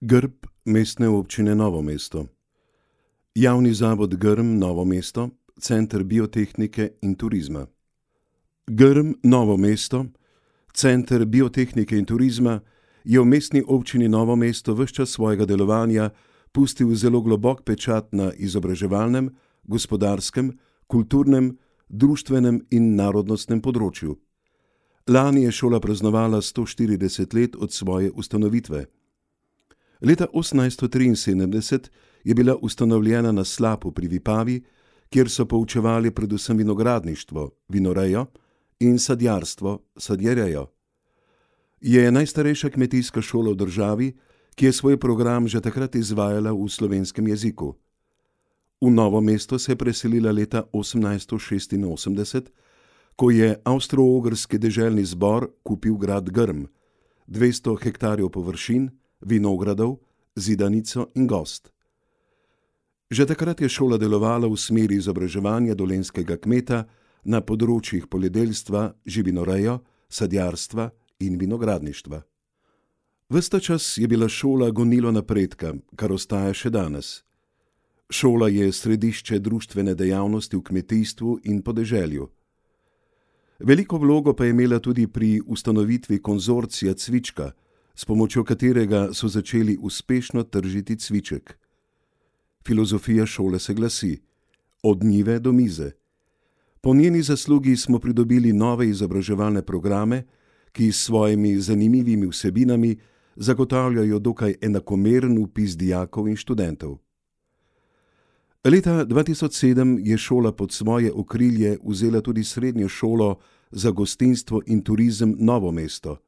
Grb Mestne občine Novo mesto. Javni zavod Grm Novo mesto, Center biotehnike in turizma. Grm Novo mesto, Center biotehnike in turizma, je v Mestni občini Novo mesto ves čas svojega delovanja pustil zelo globok pečat na izobraževalnem, gospodarskem, kulturnem, društvenem in narodnostnem področju. Lani je šola praznovala 140 let od svoje ustanovitve. Leta 1873 je bila ustanovljena na Slapu pri Vipavi, kjer so poučevali predvsem vinogradništvo, vinorejo in sadjarstvo, sadjerejo. Je najstarejša kmetijska šola v državi, ki je svoj program že takrat izvajala v slovenskem jeziku. V Novo mesto se je preselila leta 1886, ko je Avstro-Ogrski deželni zbor kupil grad Grm, 200 hektarjev površin, vinogradov, zidanico in gozd. Že takrat je šola delovala v smeri izobraževanja dolenjskega kmeta na področjih poljedelstva, živinorejo, sadjarstva in vinogradništva. Ves ta čas je bila šola gonilo napredka, kar ostaja še danes. Šola je središče društvene dejavnosti v kmetijstvu in podeželju. Veliko vlogo pa je imela tudi pri ustanovitvi konzorcija Cvička, s pomočjo katerega so začeli uspešno tržiti cviček. Filozofija šole se glasi: od njive do mize. Po njeni zaslugi smo pridobili nove izobraževalne programe, ki s svojimi zanimivimi vsebinami zagotavljajo dokaj enakomeren vpis dijakov in študentov. Leta 2007 je šola pod svoje okrilje vzela tudi srednjo šolo za gostinstvo in turizem Novo mesto.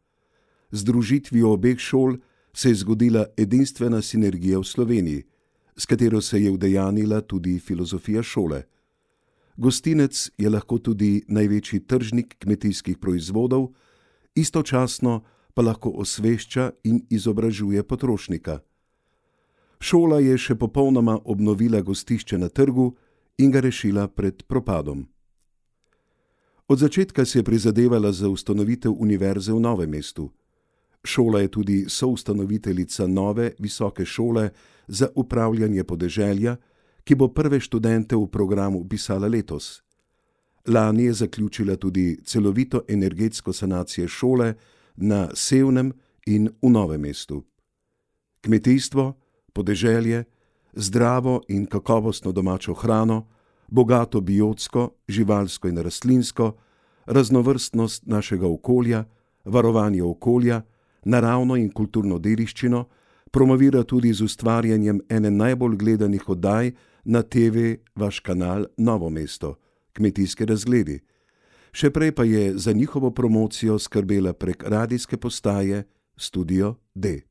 Z združitvijo obeh šol se je zgodila edinstvena sinergija v Sloveniji, s katero se je udejanila tudi filozofija šole. Gostinec je lahko tudi največji tržnik kmetijskih proizvodov, istočasno pa lahko osvešča in izobražuje potrošnika. Šola je še popolnoma obnovila gostišče na trgu in ga rešila pred propadom. Od začetka se je prizadevala za ustanovitev univerze v Novem mestu. Šola je tudi soustanoviteljica nove visoke šole za upravljanje podeželja, ki bo prve študente v programu vpisala letos. Lani je zaključila tudi celovito energetsko sanacijo šole na Sevnem in v Novem mestu. Kmetijstvo, podeželje, zdravo in kakovostno domačo hrano, bogato biotsko, živalsko in rastlinsko, raznovrstnost našega okolja, varovanje okolja, naravno in kulturno dediščino promovira tudi z ustvarjanjem ene najbolj gledanih oddaj na TV Vaš kanal Novo mesto, Kmetijske razgledi. Še prej pa je za njihovo promocijo skrbela prek radijske postaje Studio D.